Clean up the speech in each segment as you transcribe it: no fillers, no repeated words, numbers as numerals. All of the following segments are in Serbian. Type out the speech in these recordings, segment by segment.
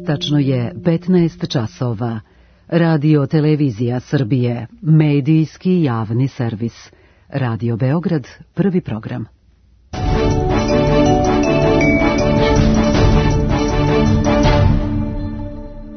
Tačno je 15 časova. Radio Televizija Srbije, medijski javni servis. Radio Beograd, prvi program.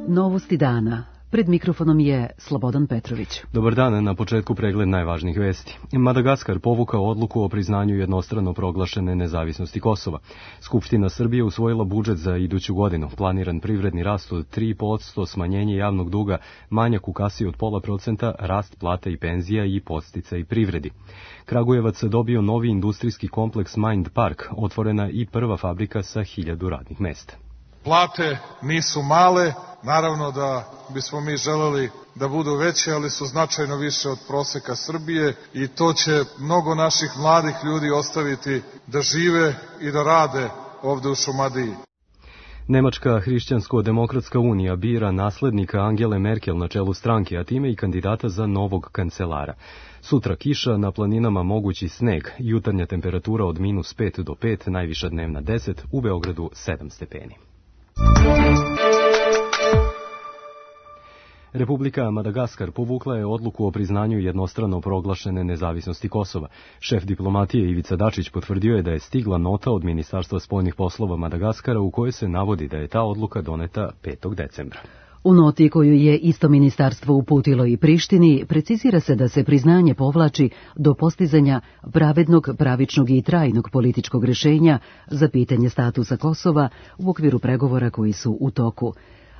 Novosti dana. Pred mikrofonom je Slobodan Petrović. Dobar dan, na početku pregled najvažnijih vesti. Madagaskar povukao odluku o priznanju jednostrano proglašene nezavisnosti Kosova. Skupština Srbije usvojila budžet za iduću godinu. Planiran privredni rast od 3%, smanjenje javnog duga, manjak u kasi od 0,5%, rast plata i penzija i podsticaj privredi. Kragujevac dobio novi industrijski kompleks Mind Park, otvorena i prva fabrika sa 1000 radnih mesta. Plate nisu male, naravno da bismo mi želeli da budu veće, ali su značajno više od proseka Srbije i to će mnogo naših mladih ljudi ostaviti da žive i da rade ovde u Šumadiji. Nemačka hrišćansko-demokratska unija bira naslednika Angele Merkel na čelu stranke, a time i kandidata za novog kancelara. Sutra kiša, na planinama mogući sneg, jutarnja temperatura od -5 do 5, najviša dnevna 10, u Beogradu 7 stepeni. Republika Madagaskar povukla je odluku o priznanju jednostrano proglašene nezavisnosti Kosova. Šef diplomatije Ivica Dačić potvrdio je da je stigla nota od Ministarstva spoljnih poslova Madagaskara u kojoj se navodi da je ta odluka doneta 5. decembra. U noti koju je isto ministarstvo uputilo i Prištini, precizira se da se priznanje povlači do postizanja pravednog, pravičnog i trajnog političkog rešenja za pitanje statusa Kosova u okviru pregovora koji su u toku.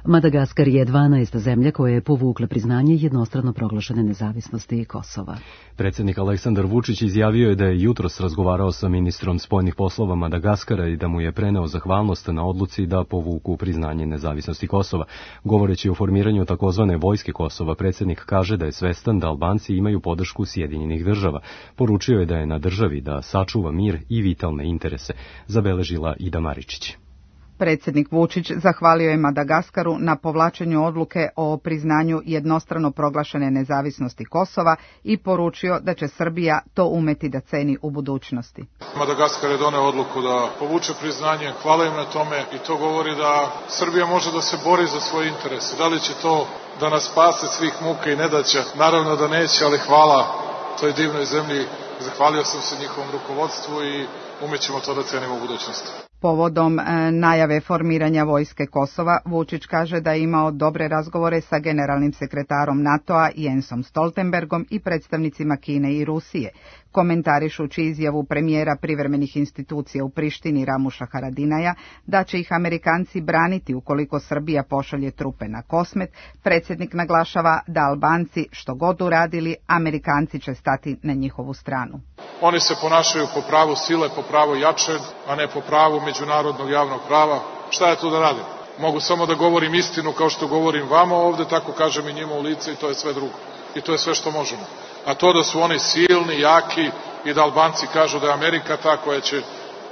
Madagaskar je 12. zemlja koja je povukla priznanje jednostrano proglašene nezavisnosti Kosova. Predsjednik Aleksandar Vučić izjavio je da je jutros razgovarao sa ministrom spoljnih poslova Madagaskara i da mu je preneo zahvalnost na odluci da povuku priznanje nezavisnosti Kosova. Govoreći o formiranju takozvane vojske Kosova, predsjednik kaže da je svestan da Albanci imaju podršku Sjedinjenih država. Poručio je da je na državi da sačuva mir i vitalne interese, zabeležila Ida Maričić. Predsjednik Vučić zahvalio je Madagaskaru na povlačenju odluke o priznanju jednostrano proglašene nezavisnosti Kosova i poručio da će Srbija to umeti da ceni u budućnosti. Madagaskar je doneo odluku da povuče priznanje, hvala im na tome i to govori da Srbija može da se bori za svoje interese. Da li će to da nas spase svih muka i nedaća? Naravno da neće, ali hvala toj divnoj zemlji. Zahvalio sam se njihovom rukovodstvu i umećemo to da cenimo u budućnosti. Povodom najave formiranja vojske Kosova, Vučić kaže da je imao dobre razgovore sa generalnim sekretarom NATO-a Jensom Stoltenbergom i predstavnicima Kine i Rusije, komentarišući izjavu premijera privremenih institucija u Prištini Ramuša Haradinaja da će ih Amerikanci braniti ukoliko Srbija pošalje trupe na Kosmet. Predsjednik naglašava da Albanci što god uradili, Amerikanci će stati na njihovu stranu. Oni se ponašaju po pravu sile, po pravu jače, a ne po pravu međunarodnog javnog prava. Šta ja tu da radim? Mogu samo da govorim istinu kao što govorim vama ovde, tako kažem i njima u lice i to je sve drugo. I to je sve što možemo. A to da su oni silni, jaki i da Albanci kažu da je Amerika ta koja će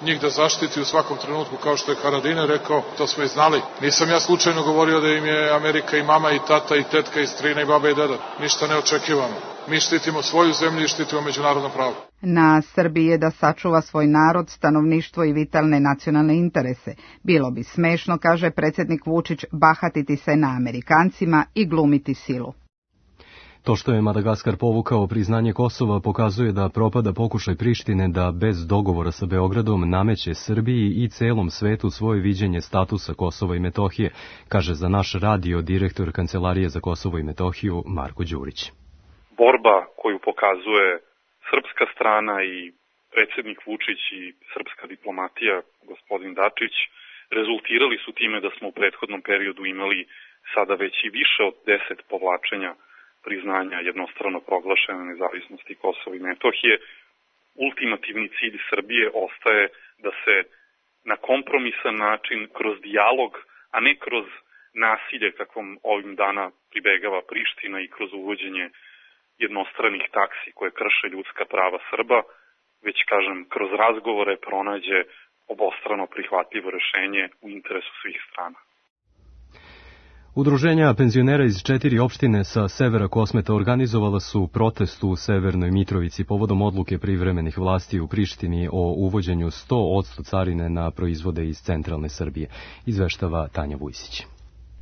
njih da zaštiti u svakom trenutku, kao što je Haradinaj rekao, to smo i znali. Nisam ja slučajno govorio da im je Amerika i mama i tata i tetka i strina i baba i deda. Ništa neočekivano. Mi štitimo svoju zemlju i štitimo međunarodno pravo. Na Srbiji je da sačuva svoj narod, stanovništvo i vitalne nacionalne interese. Bilo bi smešno, kaže predsjednik Vučić, bahatiti se na Amerikancima i glumiti silu. To što je Madagaskar povukao priznanje Kosova pokazuje da propada pokušaj Prištine da bez dogovora sa Beogradom nameće Srbiji i celom svetu svoje viđenje statusa Kosova i Metohije, kaže za naš radio direktor Kancelarije za Kosovo i Metohiju Marko Đurić. Borba koju pokazuje srpska strana i predsjednik Vučić i srpska diplomatija, gospodin Dačić, rezultirali su time da smo u prethodnom periodu imali sada već i više od 10 povlačenja priznanja jednostrano proglašene nezavisnosti Kosova i Metohije. Ultimativni cilj Srbije ostaje da se na kompromisan način, kroz dijalog, a ne kroz nasilje kakvom ovim dana pribegava Priština i kroz uvođenje jednostranih taksi koje krše ljudska prava Srba, već, kažem, kroz razgovore pronađe obostrano prihvatljivo rešenje u interesu svih strana. Udruženja penzionera iz 4 opštine sa severa Kosmeta organizovala su protest u Severnoj Mitrovici povodom odluke privremenih vlasti u Prištini o uvođenju 100% carine na proizvode iz centralne Srbije, izveštava Tanja Vujsić.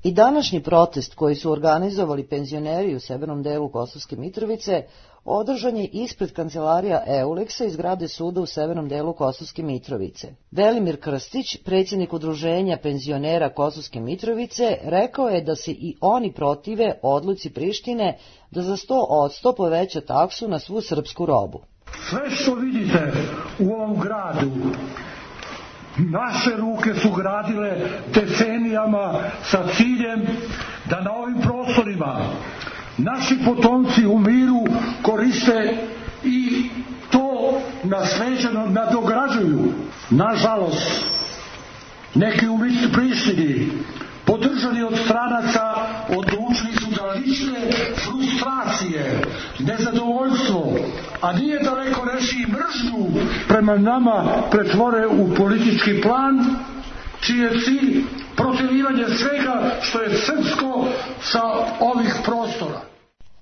I današnji protest koji su organizovali penzioneri u severnom delu Kosovske Mitrovice održan je ispred kancelarija Euleksa i zgrade suda u severnom delu Kosovske Mitrovice. Velimir Krstić, predsjednik udruženja penzionera Kosovske Mitrovice, rekao je da se i oni protive odluci Prištine da za 100% poveća taksu na svu srpsku robu. Sve što vidite u ovom gradu, naše ruke su gradile decenijama sa ciljem da na ovim prostorima naši potomci u miru koriste i to nasleđeno nadograđuju. Nažalost, neki u Prištini, podržani od stranaca, odlučili su da lične frustracije, nezadovoljstvo, a nije daleko reći i mržnju prema nama pretvore u politički plan, čiji je cilj protjerivanje svega što je srpsko sa ovih prostora.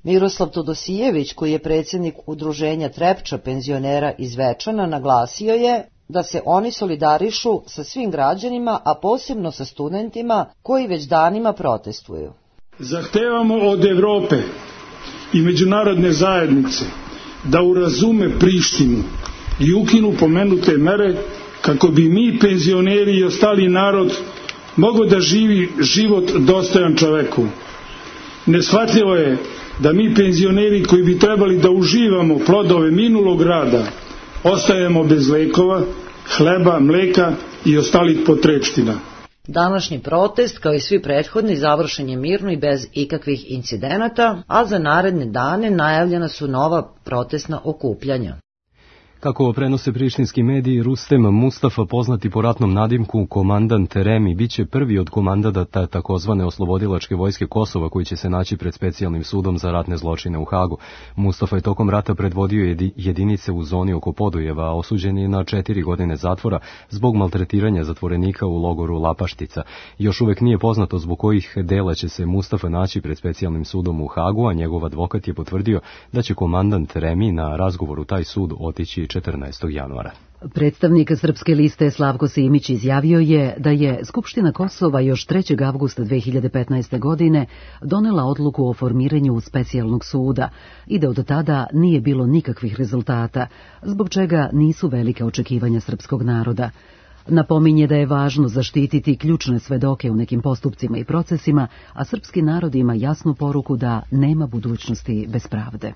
Miroslav Todosijević, koji je predsjednik udruženja Trepča penzionera iz Večana, naglasio je da se oni solidarišu sa svim građanima, a posebno sa studentima koji već danima protestuju. Zahtevamo od Evrope i međunarodne zajednice da urazume Prištinu i ukinu pomenute mere kako bi mi, penzioneri i ostali narod, mogli da živi život dostojan čoveku. Neshvatljivo je da mi, penzioneri koji bi trebali da uživamo plodove minulog rada, ostajemo bez lekova, hleba, mleka i ostalih potrepština. Današnji protest, kao i svi prethodni, završen je mirno i bez ikakvih incidenata, a za naredne dane najavljena su nova protestna okupljanja. Kako prenose prištinski mediji, Rustem Mustafa, poznati po ratnom nadimku komandant Remi, biće prvi od komandanta takozvane oslobodilačke vojske Kosova koji će se naći pred specijalnim sudom za ratne zločine u Hagu. Mustafa je tokom rata predvodio jedinice u zoni oko Podujeva, a osuđen je na 4 godine zatvora zbog maltretiranja zatvorenika u logoru Lapaštica. Još uvek nije poznato zbog kojih dela će se Mustafa naći pred specijalnim sudom u Hagu, a njegov advokat je potvrdio da će komandant Remi na razgovor u taj sud otići 14. januara. Predstavnik Srpske liste Slavko Simić izjavio je da je Skupština Kosova još 3. avgusta 2015. godine donela odluku o formiranju specijalnog suda i da od tada nije bilo nikakvih rezultata, zbog čega nisu velike očekivanja srpskog naroda. Napominje da je važno zaštititi ključne svedoke u nekim postupcima i procesima, a srpski narod ima jasnu poruku da nema budućnosti bez pravde.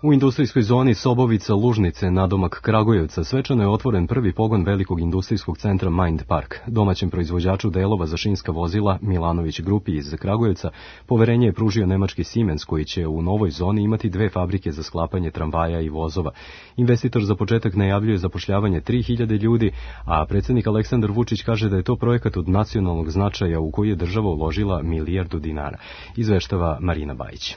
U industrijskoj zoni Sobovica-Lužnice, nadomak Kragujevca, svečano je otvoren prvi pogon velikog industrijskog centra Mind Park. Domaćem proizvođaču delova za šinska vozila Milanović Grupi iz Kragujevca poverenje je pružio nemački Siemens, koji će u novoj zoni imati 2 fabrike za sklapanje tramvaja i vozova. Investitor za početak najavljuje zapošljavanje 3000 ljudi, a predsjednik Aleksandar Vučić kaže da je to projekat od nacionalnog značaja u koji je država uložila milijardu dinara. Izveštava Marina Bajić.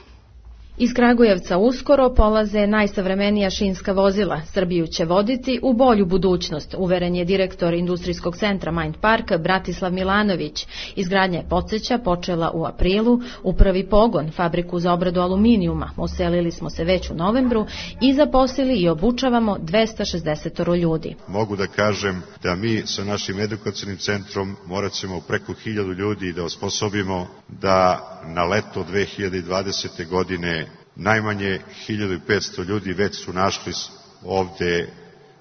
Iz Kragujevca uskoro polaze najsavremenija šinska vozila. Srbiju će voditi u bolju budućnost, uveren je direktor industrijskog centra Mind Park Bratislav Milanović. Izgradnja je, podsjeća, počela u aprilu. U prvi pogon, fabriku za obradu aluminijuma, uselili smo se već u novembru i zaposlili i obučavamo 260 ljudi. Mogu da kažem da mi sa našim edukacijnim centrom morat ćemo preko 1000 ljudi da osposobimo da na leto 2020. godine najmanje 1500 ljudi već su našli ovde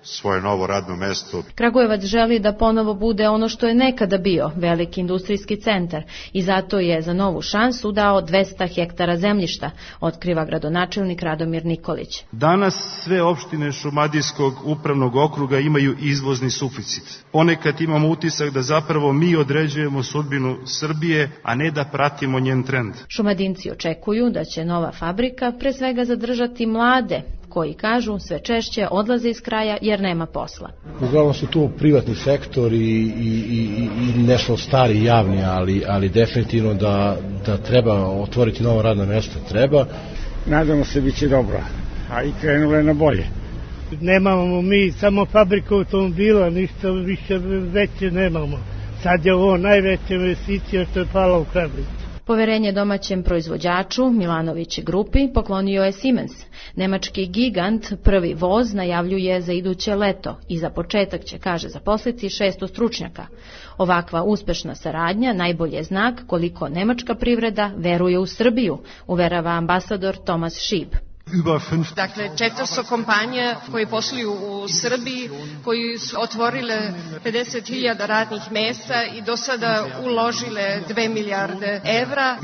svoje novo radno mesto. Kragujevac želi da ponovo bude ono što je nekada bio, veliki industrijski centar, i zato je za novu šansu dao 200 hektara zemljišta, otkriva gradonačelnik Radomir Nikolić. Danas sve opštine Šumadijskog upravnog okruga imaju izvozni suficit. Ponekad imamo utisak da zapravo mi određujemo sudbinu Srbije, a ne da pratimo njen trend. Šumadinci očekuju da će nova fabrika pre svega zadržati mlade, koji kažu sve češće odlaze iz kraja jer nema posla. Uglavnom su tu privatni sektor i nešto stari javni, ali definitivno da treba otvoriti nova radna mjesta, treba. Nadamo se bit će dobro, a i krenulo je na bolje. Nemamo mi samo fabriku automobila, ništa više veće nemamo. Sad je ovo najveća investicija što je pala u Kragujevcu. Poverenje domaćem proizvođaču Milanović grupi poklonio je Siemens. Nemački gigant prvi voz najavljuje za iduće leto i za početak će, kaže, zaposliti 600 stručnjaka. Ovakva uspešna saradnja najbolje je znak koliko nemačka privreda veruje u Srbiju, uverava ambasador Tomas Šib. Dakle, 400 kompanija koje posluju u Srbiji, koji su otvorile 50.000 radnih mesta i do sada uložile 2 milijarde evra.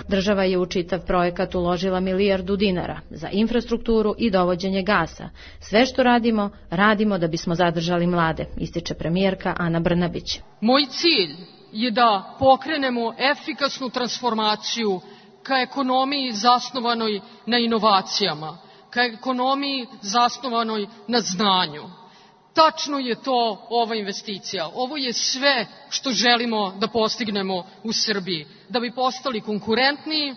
Država je u čitav projekat uložila milijardu dinara za infrastrukturu i dovođenje gasa. Sve što radimo, radimo da bismo zadržali mlade, ističe premijerka Ana Brnabić. Moj cilj je da pokrenemo efikasnu transformaciju ka ekonomiji zasnovanoj na inovacijama, ka ekonomiji zasnovanoj na znanju. Tačno je to ova investicija. Ovo je sve što želimo da postignemo u Srbiji, da bi postali konkurentniji,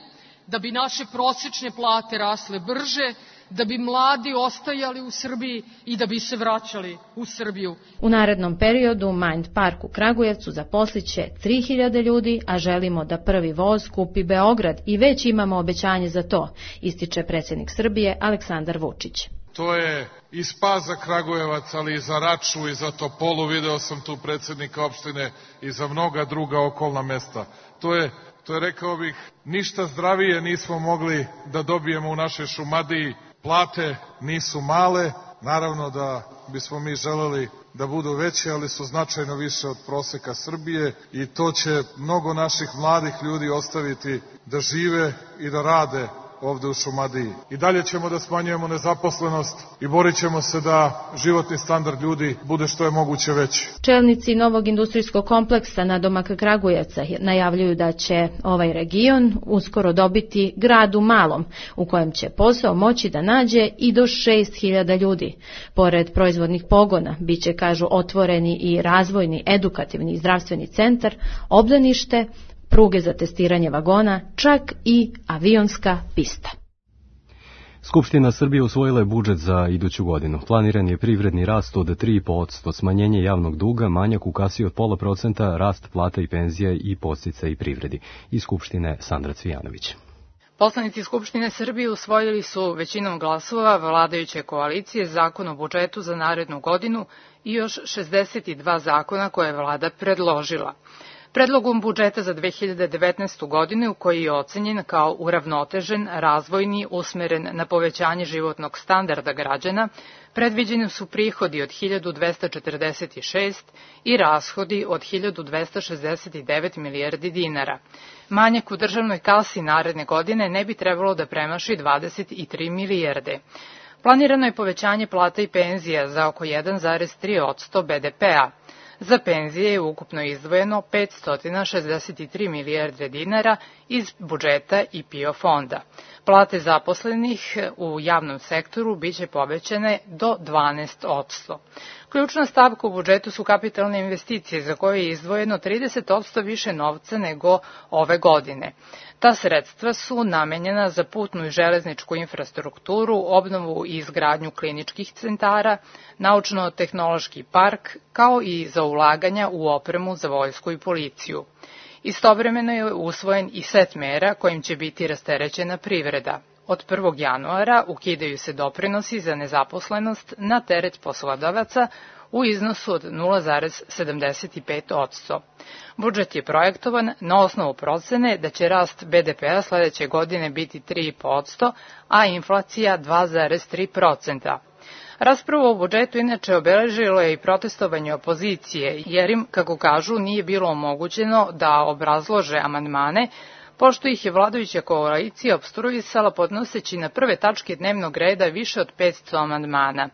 da bi naše prosečne plate rasle brže, da bi mladi ostajali u Srbiji i da bi se vraćali u Srbiju. U narednom periodu Mind Park u Kragujevcu zaposliće 3000 ljudi, a želimo da prvi voz kupi Beograd i već imamo obećanje za to, ističe predsjednik Srbije Aleksandar Vučić. To je i spas za Kragujevac, ali i za Raču i za Topolu, video sam tu predsjednika opštine, i za mnoga druga okolna mesta. To je, rekao bih, ništa zdravije nismo mogli da dobijemo u našoj Šumadiji. Plate nisu male, naravno da bismo mi želeli da budu veće, ali su značajno više od proseka Srbije i to će mnogo naših mladih ljudi ostaviti da žive i da rade ovde u Šumadiji. I dalje ćemo da smanjujemo nezaposlenost i borit ćemo se da životni standard ljudi bude što je moguće veći. Čelnici novog industrijskog kompleksa nadomak Kragujevca najavljuju da će ovaj region uskoro dobiti grad u malom, u kojem će posao moći da nađe i do 6000 ljudi. Pored proizvodnih pogona, biće, kažu, otvoreni i razvojni, edukativni i zdravstveni centar, obdanište, pruge za testiranje vagona, čak i avionska pista. Skupština Srbije usvojila je budžet za iduću godinu. Planiran je privredni rast od 3,5%, smanjenje javnog duga, manjak u kasi od 0,5%, rast plata i penzija i podsticaji privredi. Iz Skupštine Sandra Cvijanović. Poslanici Skupštine Srbije usvojili su većinom glasova vladajuće koalicije zakon o budžetu za narednu godinu i još 62 zakona koje je vlada predložila. Predlogom budžeta za 2019. godinu, koji je ocenjen kao uravnotežen, razvojni, usmeren na povećanje životnog standarda građana, predviđeni su prihodi od 1246 i rashodi od 1269 milijardi dinara. Manjak u državnoj kasi naredne godine ne bi trebalo da premaši 23 milijarde. Planirano je povećanje plata i penzija za oko 1,3% BDP-a. Za penzije je ukupno izdvojeno 563 milijarde dinara iz budžeta i PIO fonda. Plate zaposlenih u javnom sektoru biće povećane do 12%. Ključna stavka u budžetu su kapitalne investicije za koje je izdvojeno 30% više novca nego ove godine. Ta sredstva su namenjena za putnu i železničku infrastrukturu, obnovu i izgradnju kliničkih centara, naučno-tehnološki park, kao i za ulaganja u opremu za vojsku i policiju. Istovremeno je usvojen i set mera kojim će biti rasterećena privreda. Od 1. januara ukidaju se doprinosi za nezaposlenost na teret poslodavaca u iznosu od 0,75%. Budžet je projektovan na osnovu procene da će rast BDP-a sledeće godine biti 3,5%, a inflacija 2,3%. Raspravu o budžetu inače obeležilo je i protestovanje opozicije, jer im, kako kažu, nije bilo omogućeno da obrazlože amandmane, pošto ih je vladajuća koalicija opstruisala podnoseći na prve tačke dnevnog reda više od 500 amandmana.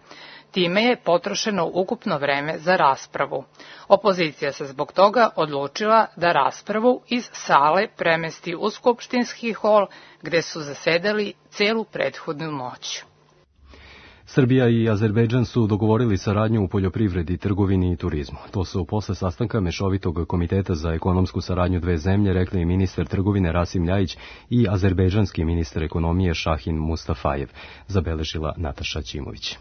Time je potrošeno ukupno vreme za raspravu. Opozicija se zbog toga odlučila da raspravu iz sale premesti u skupštinski hol, gde su zasedali celu prethodnu noć. Srbija i Azerbejdžan su dogovorili saradnju u poljoprivredi, trgovini i turizmu. To su posle sastanka Mešovitog komiteta za ekonomsku saradnju dve zemlje rekli i ministar trgovine Rasim Ljajić i azerbejdžanski ministar ekonomije Šahin Mustafajev, zabeležila Nataša Ćimović.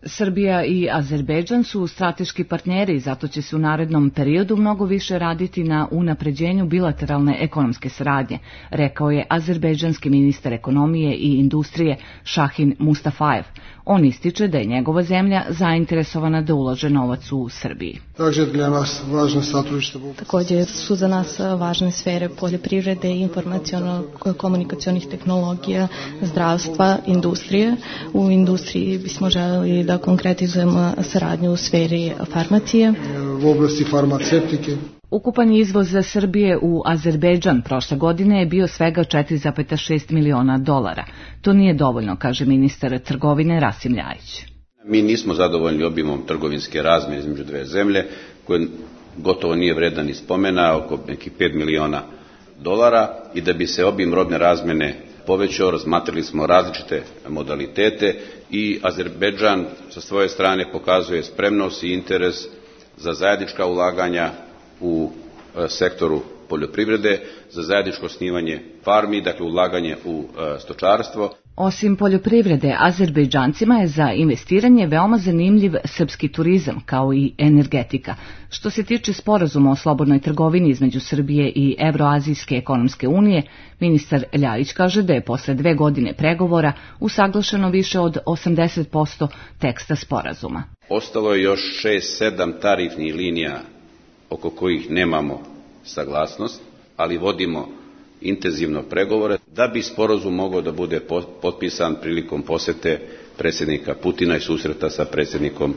Srbija i Azerbejdžan su strateški partneri i zato će se u narednom periodu mnogo više raditi na unapređenju bilateralne ekonomske saradnje, rekao je azerbejdžanski ministar ekonomije i industrije Šahin Mustafajev. On ističe da je njegova zemlja zainteresovana da ulaže novac u Srbiji. Također su za nas važne sfere poljoprivrede, informaciono-komunikacionih tehnologija, zdravstva, industrije. U industriji bismo želeli da konkretizujemo saradnju u sferi farmacije. U oblasti farmacevtike. Ukupan izvoz za Srbije u Azerbejdžan prošle godine je bio svega 4,6 miliona dolara. To nije dovoljno, kaže ministar trgovine Rasim Ljajić. Mi nismo zadovoljni obimom trgovinske razmjene između dve zemlje, koje gotovo nije vredan ni spomena, oko nekih 5 miliona dolara, i da bi se obim robne razmjene povećao, razmatrali smo različite modalitete i Azerbejdžan sa svoje strane pokazuje spremnost i interes za zajednička ulaganja u sektoru poljoprivrede, za zajedničko osnivanje farmi, dakle ulaganje u stočarstvo. Osim poljoprivrede, Azerbejdžancima je za investiranje veoma zanimljiv srpski turizam, kao i energetika. Što se tiče sporazuma o slobodnoj trgovini između Srbije i Evroazijske ekonomske unije, ministar Ljajić kaže da je posle 2 godine pregovora usaglašeno više od 80% teksta sporazuma. Ostalo je još 6-7 tarifnih linija oko kojih nemamo saglasnost, ali vodimo intenzivno pregovore da bi sporazum mogao da bude potpisan prilikom posete predsjednika Putina i susreta sa predsjednikom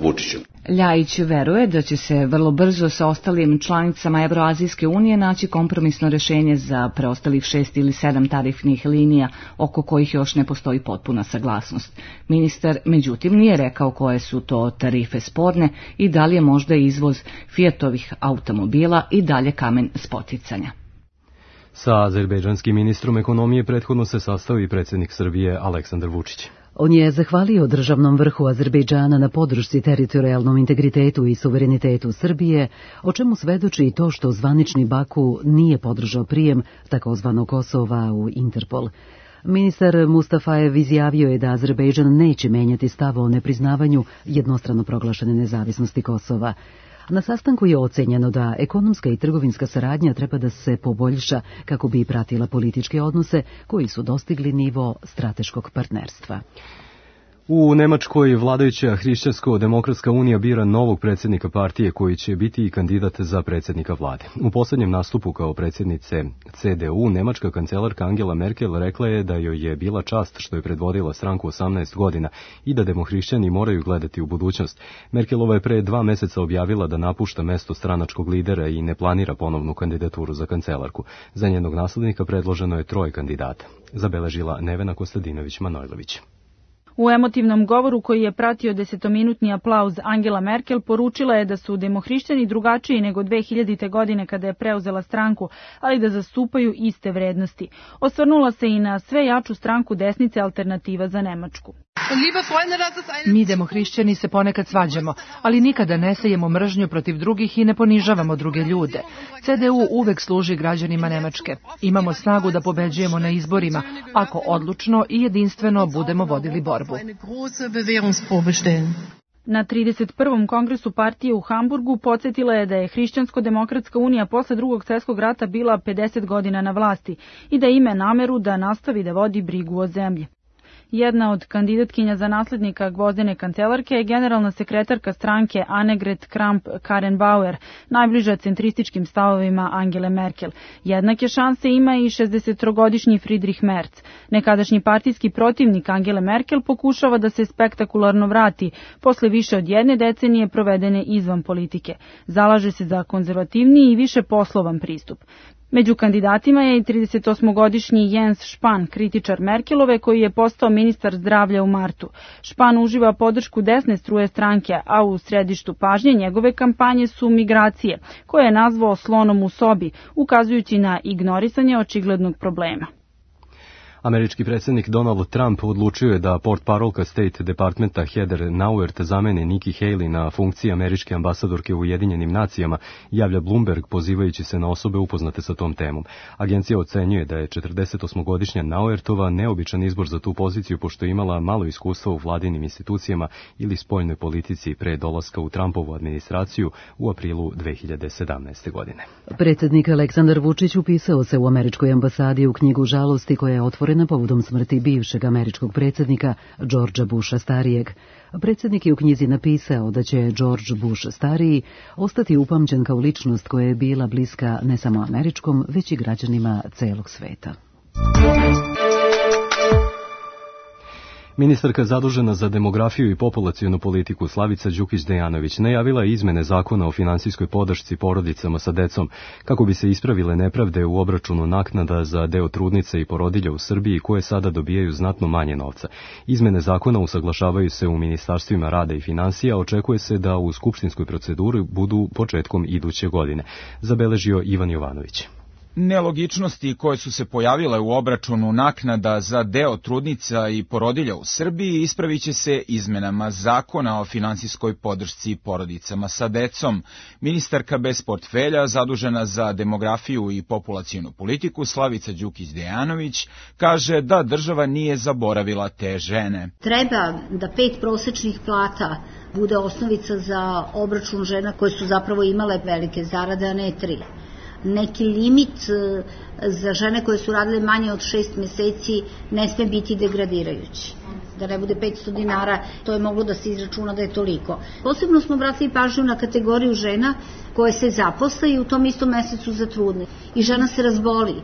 Vučićem. Ljajić veruje da će se vrlo brzo sa ostalim članicama Evroazijske unije naći kompromisno rešenje za preostalih 6 ili 7 tarifnih linija oko kojih još ne postoji potpuna saglasnost. Ministar, međutim, nije rekao koje su to tarife sporne i da li je možda izvoz Fiatovih automobila i dalje kamen spoticanja. Sa azerbejdžanskim ministrom ekonomije prethodno se sastao i predsjednik Srbije Aleksandar Vučić. On je zahvalio državnom vrhu Azerbejdžana na podršci teritorijalnom integritetu i suverenitetu Srbije, o čemu svedoči i to što zvanični Baku nije podržao prijem takozvanog Kosova u Interpol. Ministar Mustafajev izjavio je da Azerbejdžan neće menjati stav o nepriznavanju jednostrano proglašene nezavisnosti Kosova. Na sastanku je ocenjeno da ekonomska i trgovinska saradnja treba da se poboljša kako bi pratila političke odnose koji su dostigli nivo strateškog partnerstva. U Nemačkoj vladajuća Hrišćansko-demokratska unija bira novog predsjednika partije koji će biti i kandidat za predsjednika vlade. U posljednjem nastupu kao predsjednice CDU, nemačka kancelarka Angela Merkel rekla je da joj je bila čast što je predvodila stranku 18 godina i da demohrišćani moraju gledati u budućnost. Merkelova je pre 2 meseca objavila da napušta mesto stranačkog lidera i ne planira ponovnu kandidaturu za kancelarku. Za njenog naslednika predloženo je 3 kandidata, zabeležila Nevena Kostadinović-Manojlović. U emotivnom govoru koji je pratio 10-minutni aplauz Angela Merkel poručila je da su demohrišćani drugačiji nego 2000. godine kada je preuzela stranku, ali da zastupaju iste vrednosti. Osvrnula se i na sve jaču stranku desnice Alternativa za Nemačku. Mi demohrišćani se ponekad svađamo, ali nikada ne sejemo mržnju protiv drugih i ne ponižavamo druge ljude. CDU uvek služi građanima Nemačke. Imamo snagu da pobeđujemo na izborima, ako odlučno i jedinstveno budemo vodili borbu. Na 31. kongresu partije u Hamburgu podsjetila je da je Hrišćansko-demokratska unija posle Drugog svjetskog rata bila 50 godina na vlasti i da ima nameru da nastavi da vodi brigu o zemlji. Jedna od kandidatkinja za naslednika Gvozdene kancelarke je generalna sekretarka stranke Annegret Kramp-Karrenbauer, najbliža centrističkim stavovima Angele Merkel. Jednake šanse ima i 63-godišnji Friedrich Merz. Nekadašnji partijski protivnik Angele Merkel pokušava da se spektakularno vrati posle više od 1 decenije provedene izvan politike. Zalaže se za konzervativniji i više poslovan pristup. Među kandidatima je i 38-godišnji Jens Spahn, kritičar Merkelove, koji je postao ministar zdravlja u martu. Spahn uživa podršku desne struje stranke, a u središtu pažnje njegove kampanje su migracije, koje je nazvao slonom u sobi, ukazujući na ignorisanje očiglednog problema. Američki predsjednik Donald Trump odlučio je da portparolka State Departmenta Heather Nauert zameni Nikki Haley na funkciji američke ambasadorke u Ujedinjenim nacijama, javlja Bloomberg pozivajući se na osobe upoznate sa tom temom. Agencija ocenjuje da je 48-godišnja Nauertova neobičan izbor za tu poziciju pošto je imala malo iskustva u vladinim institucijama ili spoljnoj politici pre dolaska u Trumpovu administraciju u aprilu 2017. godine. Predsjednik Aleksandar Vučić upisao se u američkoj ambasadi u knjigu žalosti koja je otvorena povodom smrti bivšeg američkog predsjednika Georgea Busha starijeg. Predsjednik je u knjizi napisao da će George Bush stariji ostati upamćen kao ličnost koja je bila bliska ne samo američkom, već i građanima celog sveta. Ministarka zadužena za demografiju i populacionu politiku Slavica Đukić-Dejanović najavila je izmene zakona o finansijskoj podršci porodicama sa decom kako bi se ispravile nepravde u obračunu naknada za deo trudnica i porodilja u Srbiji koje sada dobijaju znatno manje novca. Izmene zakona usaglašavaju se u ministarstvima rada i finansija, očekuje se da u skupštinskoj proceduri budu početkom iduće godine, zabeležio Ivan Jovanović. Nelogičnosti koje su se pojavile u obračunu naknada za deo trudnica i porodilja u Srbiji ispravit će se izmenama zakona o finansijskoj podršci porodicama sa decom. Ministarka bez portfelja, zadužena za demografiju i populacionu politiku, Slavica Đukić-Dejanović, kaže da država nije zaboravila te žene. Treba da 5 prosečnih plata bude osnovica za obračun žena koje su zapravo imale velike zarade, a ne 3. Neki limit za žene koje su radile manje od 6 meseci ne sme biti degradirajući. Da ne bude 500 dinara, to je moglo da se izračuna da je toliko. Posebno smo obratili pažnju na kategoriju žena koje se zaposle i u tom istom mesecu zatrudne. I žena se razboli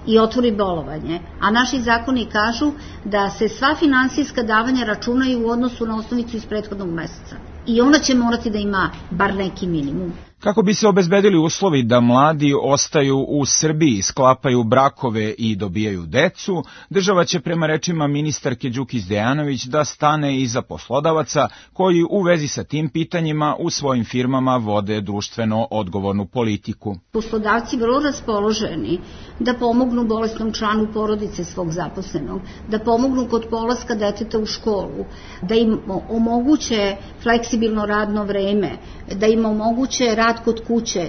i otvori bolovanje. A naši zakoni kažu da se sva finansijska davanja računaju u odnosu na osnovicu iz prethodnog meseca. I ona će morati da ima bar neki minimum. Kako bi se obezbedili uslovi da mladi ostaju u Srbiji, sklapaju brakove i dobijaju decu, država će prema rečima ministarke Đukić-Dejanović da stane iza poslodavaca koji u vezi sa tim pitanjima u svojim firmama vode društveno odgovornu politiku. Poslodavci vrlo raspoloženi da pomognu bolesnom članu porodice svog zaposlenog, da pomognu kod polaska deteta u školu, da im omoguće fleksibilno radno vreme, da im omoguće rad kod kuće,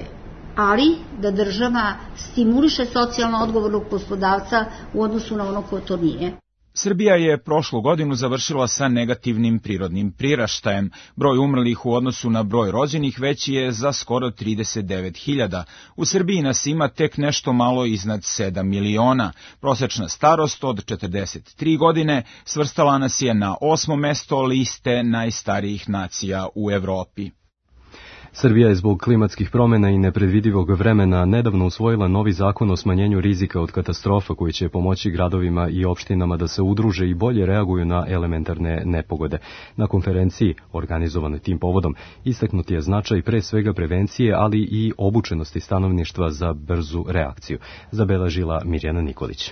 ali da država stimuliše socijalno odgovornog poslodavca u odnosu na ono ko to nije. Srbija je prošlu godinu završila sa negativnim prirodnim priraštajem. Broj umrlih u odnosu na broj rođenih veći je za skoro 39.000. U Srbiji nas ima tek nešto malo iznad 7 miliona. Prosečna starost od 43 godine svrstala nas je na 8. mesto liste najstarijih nacija u Evropi. Srbija je zbog klimatskih promjena i nepredvidivog vremena nedavno usvojila novi zakon o smanjenju rizika od katastrofa koji će pomoći gradovima i opštinama da se udruže i bolje reaguju na elementarne nepogode. Na konferenciji, organizovanoj tim povodom, istaknut je značaj pre svega prevencije, ali i obučenosti stanovništva za brzu reakciju, zabeležila Mirjana Nikolić.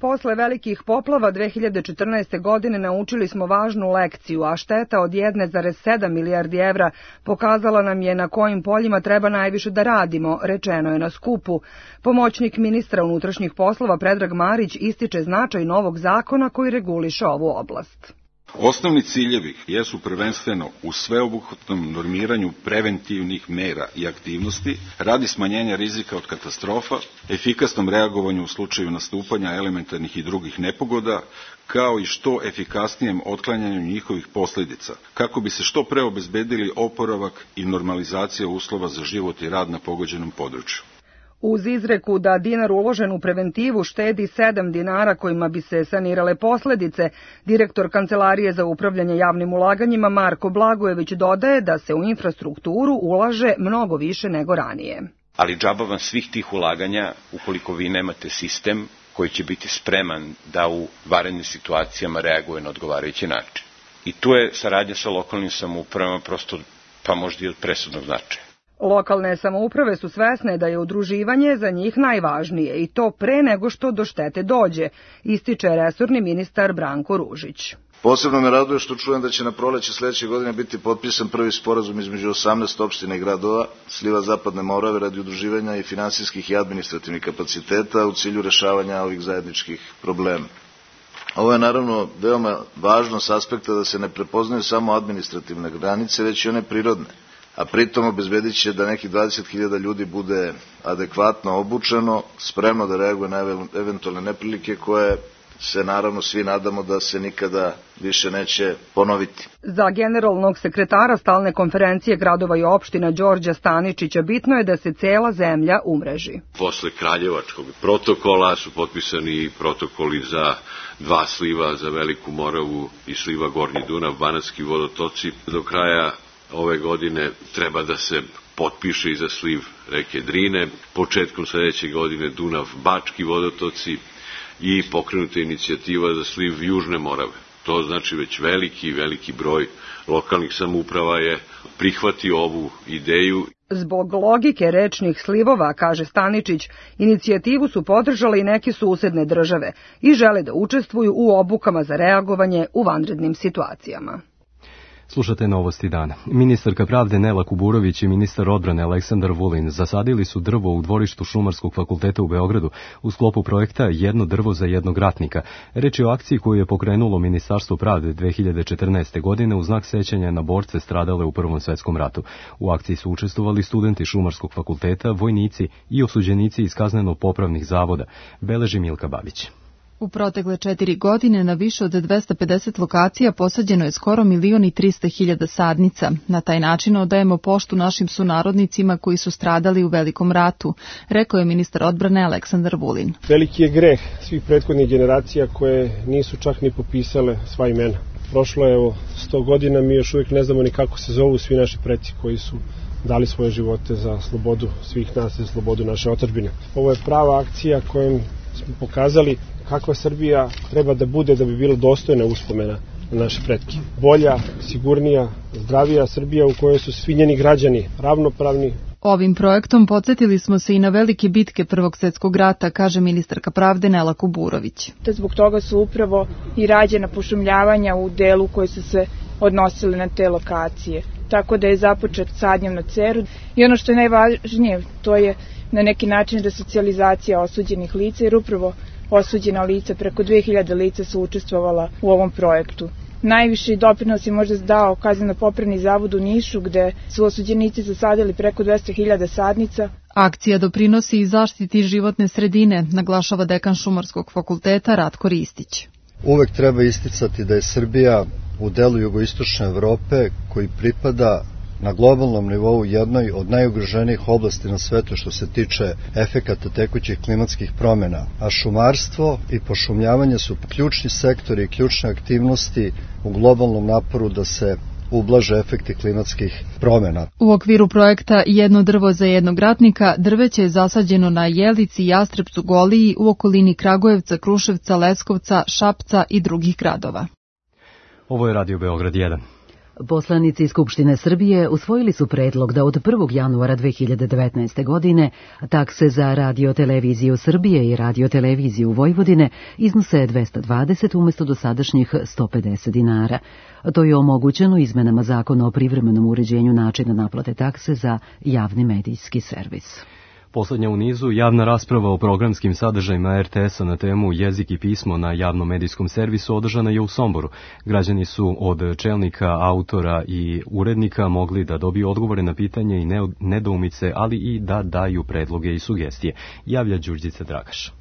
Posle velikih poplava 2014. godine naučili smo važnu lekciju, a šteta od 1,7 milijardi evra pokazala nam je na kojim poljima treba najviše da radimo, rečeno je na skupu. Pomoćnik ministra unutrašnjih poslova Predrag Marić ističe značaj novog zakona koji reguliše ovu oblast. Osnovni ciljevi jesu prvenstveno u sveobuhvatnom normiranju preventivnih mera i aktivnosti radi smanjenja rizika od katastrofa, efikasnom reagovanju u slučaju nastupanja elementarnih i drugih nepogoda, kao i što efikasnijem otklanjanju njihovih posljedica, kako bi se što pre obezbedili oporavak i normalizacija uslova za život i rad na pogođenom području. Uz izreku da dinar uložen u preventivu štedi 7 dinara kojima bi se sanirale posljedice, direktor Kancelarije za upravljanje javnim ulaganjima Marko Blagojević dodaje da se u infrastrukturu ulaže mnogo više nego ranije. Ali džaba vam svih tih ulaganja ukoliko vi nemate sistem koji će biti spreman da u vanrednim situacijama reaguje na odgovarajući način. I tu je saradnja sa lokalnim samoupravama prosto pa možda i od presudnog značaja. Lokalne samouprave su svesne da je udruživanje za njih najvažnije i to pre nego što do štete dođe, ističe resorni ministar Branko Ružić. Posebno me raduje što čujem da će na proleće sledeće godine biti potpisan prvi sporazum između 18 opština i gradova sliva Zapadne Morave radi udruživanja i finansijskih i administrativnih kapaciteta u cilju rešavanja ovih zajedničkih problema. Ovo je naravno veoma važno s aspekta da se ne prepoznaju samo administrativne granice, već i one prirodne, a pritom obezbedit će da nekih 20.000 ljudi bude adekvatno obučeno, spremno da reaguje na eventualne neprilike koje se naravno svi nadamo da se nikada više neće ponoviti. Za generalnog sekretara stalne konferencije gradova i opština Đorđa Staničića bitno je da se cela zemlja umreži. Posle Kraljevačkog protokola su potpisani protokoli za 2 sliva, za Veliku Moravu i sliva Gornji Dunav, Banatski vodotoci. Do kraja ove godine treba da se potpiše i za sliv reke Drine, početkom sledeće godine Dunav-Bački vodotoci i pokrenuta inicijativa za sliv Južne Morave. To znači već veliki broj lokalnih samouprava je prihvatio ovu ideju. Zbog logike rečnih slivova, kaže Staničić, inicijativu su podržale i neke susedne države i žele da učestvuju u obukama za reagovanje u vanrednim situacijama. Slušate Novosti dana. Ministarka pravde Nela Kuburović i ministar odbrane Aleksandar Vulin zasadili su drvo u dvorištu Šumarskog fakulteta u Beogradu u sklopu projekta Jedno drvo za jednog ratnika. Reč je o akciji koju je pokrenulo Ministarstvo pravde 2014. godine u znak sećanja na borce stradale u Prvom svetskom ratu. U akciji su učestvovali studenti Šumarskog fakulteta, vojnici i osuđenici iz kazneno-popravnih zavoda, beleži Milka Babić. U protekle 4 godine na više od 250 lokacija posađeno je skoro 1.300.000 sadnica. Na taj način odajemo poštu našim sunarodnicima koji su stradali u Velikom ratu, rekao je ministar odbrane Aleksandar Vulin. Veliki je greh svih prethodnih generacija koje nisu čak ni popisale sva imena. Prošlo je 100 godina, mi još uvijek ne znamo ni kako se zovu svi naši preci koji su dali svoje živote za slobodu svih nas, za slobodu naše otadžbine. Ovo je prava akcija kojom smo pokazali kakva Srbija treba da bude da bi bila dostojna uspomena na naše pretke. Bolja, sigurnija, zdravija Srbija u kojoj su svi njeni građani ravnopravni. Ovim projektom podsjetili smo se i na velike bitke Prvog svjetskog rata, kaže ministarka pravde Nela Kuburović. Zbog toga su upravo i rađena pošumljavanja u delu koji su se odnosili na te lokacije. Tako da je započet sadnjom na Ceru. I ono što je najvažnije, to je na neki način resocijalizacija osuđenih lica, jer upravo osuđena lica, preko 2000 lica su učestvovala u ovom projektu. Najviši doprinos je možda dao kazneno-popravni zavod u Nišu, gde su osuđenici zasadili preko 200.000 sadnica. Akcija doprinosi i zaštiti životne sredine, naglašava dekan Šumarskog fakulteta Ratko Ristić. Uvek treba isticati da je Srbija u delu jugoistočne Evrope koji pripada na globalnom nivou jednoj od najugroženijih oblasti na svetu što se tiče efekata tekućih klimatskih promjena, a šumarstvo i pošumljavanje su ključni sektori i ključne aktivnosti u globalnom naporu da se ublaže efekti klimatskih promjena. U okviru projekta Jedno drvo za jednog ratnika drveće je zasađeno na Jelici, Jastrebcu, Goliji, u okolini Kragujevca, Kruševca, Leskovca, Šapca i drugih gradova. Ovo je Radio Beograd 1. Poslanici Skupštine Srbije usvojili su predlog da od 1. januara 2019. godine takse za radioteleviziju Srbije i radioteleviziju Vojvodine iznose 220 umjesto dosadašnjih 150 dinara. To je omogućeno izmenama Zakona o privremenom uređenju načina naplate takse za javni medijski servis. Poslednja u nizu, javna rasprava o programskim sadržajima RTS-a na temu jezik i pismo na javnom medijskom servisu održana je u Somboru. Građani su od čelnika, autora i urednika mogli da dobiju odgovore na pitanje i nedoumice, ali i da daju predloge i sugestije, javlja Đurđica Dragaš.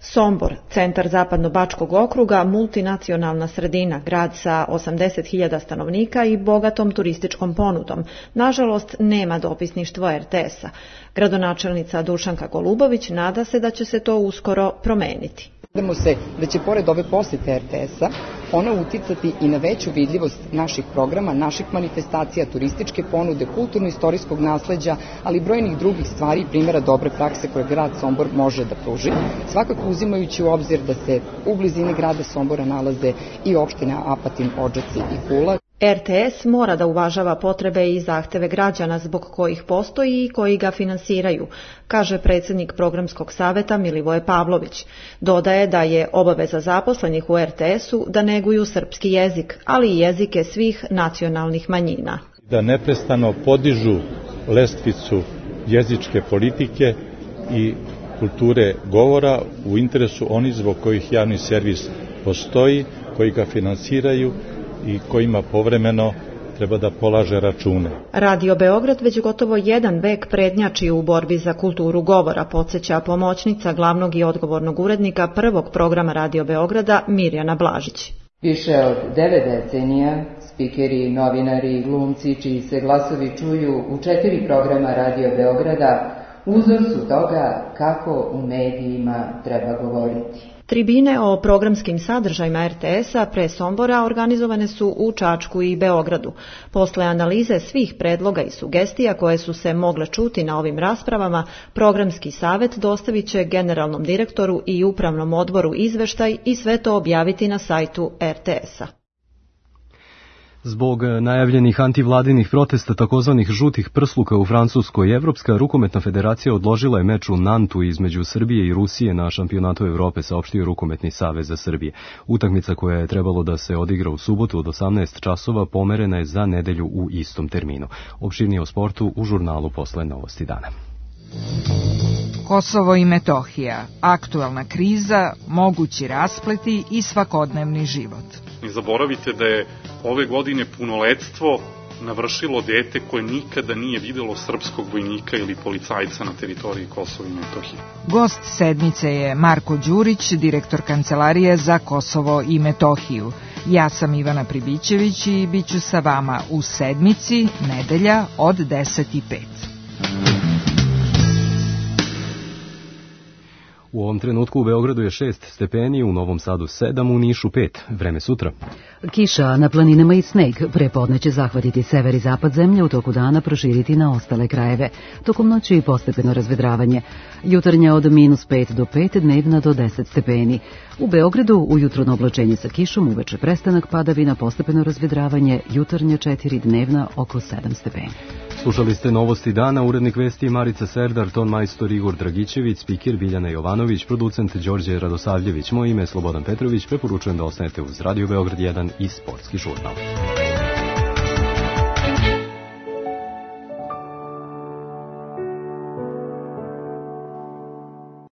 Sombor, centar Zapadno-Bačkog okruga, multinacionalna sredina, grad sa 80.000 stanovnika i bogatom turističkom ponudom. Nažalost, nema dopisništvo RTS-a. Gradonačelnica Dušanka Golubović nada se da će se to uskoro promeniti. Nadamo se da će pored ove posete RTS-a ona uticati i na veću vidljivost naših programa, naših manifestacija, turističke ponude, kulturno-istorijskog nasleđa, ali i brojnih drugih stvari i primjera dobre prakse koje grad Sombor može da pruži, svakako uzimajući u obzir da se u blizini grada Sombora nalaze i opštine Apatin, Odžaci i Kula. RTS mora da uvažava potrebe i zahteve građana zbog kojih postoji i koji ga finansiraju, kaže predsjednik programskog saveta Milivoje Pavlović. Dodaje da je obaveza zaposlenih u RTS-u da neguju srpski jezik, ali i jezike svih nacionalnih manjina. Da neprestano podižu lestvicu jezičke politike i kulture govora u interesu onih zbog kojih javni servis postoji, koji ga finansiraju i kojima povremeno treba da polaže račune. Radio Beograd već gotovo jedan vek prednjači u borbi za kulturu govora, podsjeća pomoćnica glavnog i odgovornog urednika prvog programa Radio Beograda Mirjana Blažić. Više od 9 decenija spikeri, novinari i glumci čiji se glasovi čuju u 4 programa Radio Beograda uzor su toga kako u medijima treba govoriti. Tribine o programskim sadržajima RTS-a pre Sombora organizovane su u Čačku i Beogradu. Posle analize svih predloga i sugestija koje su se mogle čuti na ovim raspravama, Programski savet dostavit će generalnom direktoru i upravnom odboru izveštaj i sve to objaviti na sajtu RTS-a. Zbog najavljenih antivladinih protesta takozvanih žutih prsluka u Francuskoj, Evropska rukometna federacija odložila je meč u Nantu između Srbije i Rusije na šampionatu Evrope, saopštio Rukometni savez za Srbije. Utakmica koja je trebalo da se odigra u subotu od 18 časova pomerena je za nedelju u istom terminu. Opširnije o sportu u žurnalu Posle novosti dana. Kosovo i Metohija, aktualna kriza, mogući raspleti i svakodnevni život. Ne zaboravite da je ove godine punoletstvo navršilo dete koje nikada nije videlo srpskog vojnika ili policajca na teritoriji Kosova i Metohije. Gost sedmice je Marko Đurić, direktor Kancelarije za Kosovo i Metohiju. Ja sam Ivana Pribićević i bit ću sa vama u sedmici, nedelja od 10:05. U ovom trenutku u Beogradu je 6 stepeni, u Novom Sadu 7, u Nišu 5. Vreme sutra. Kiša na planinama i sneg. Prepodne će zahvatiti sever i zapad zemlje, u toku dana proširiti na ostale krajeve. Tokom noći i postepeno razvedravanje. Jutarnja od -5 do 5, dnevna do 10 stepeni. U Beogradu ujutro oblačenje sa kišom, uveče prestanak padavina, postepeno razvedravanje, jutarnja 4, dnevna oko 7 stepeni. Slušali ste novosti dana, urednik vesti Marica Serdar, ton majstor Igor Dragićević, spiker Biljana Jovanović, producent Đorđe Radosavljević. Moje ime je Slobodan Petrović, preporučujem da ostanete uz Radio Beograd 1 i Sportski žurnal.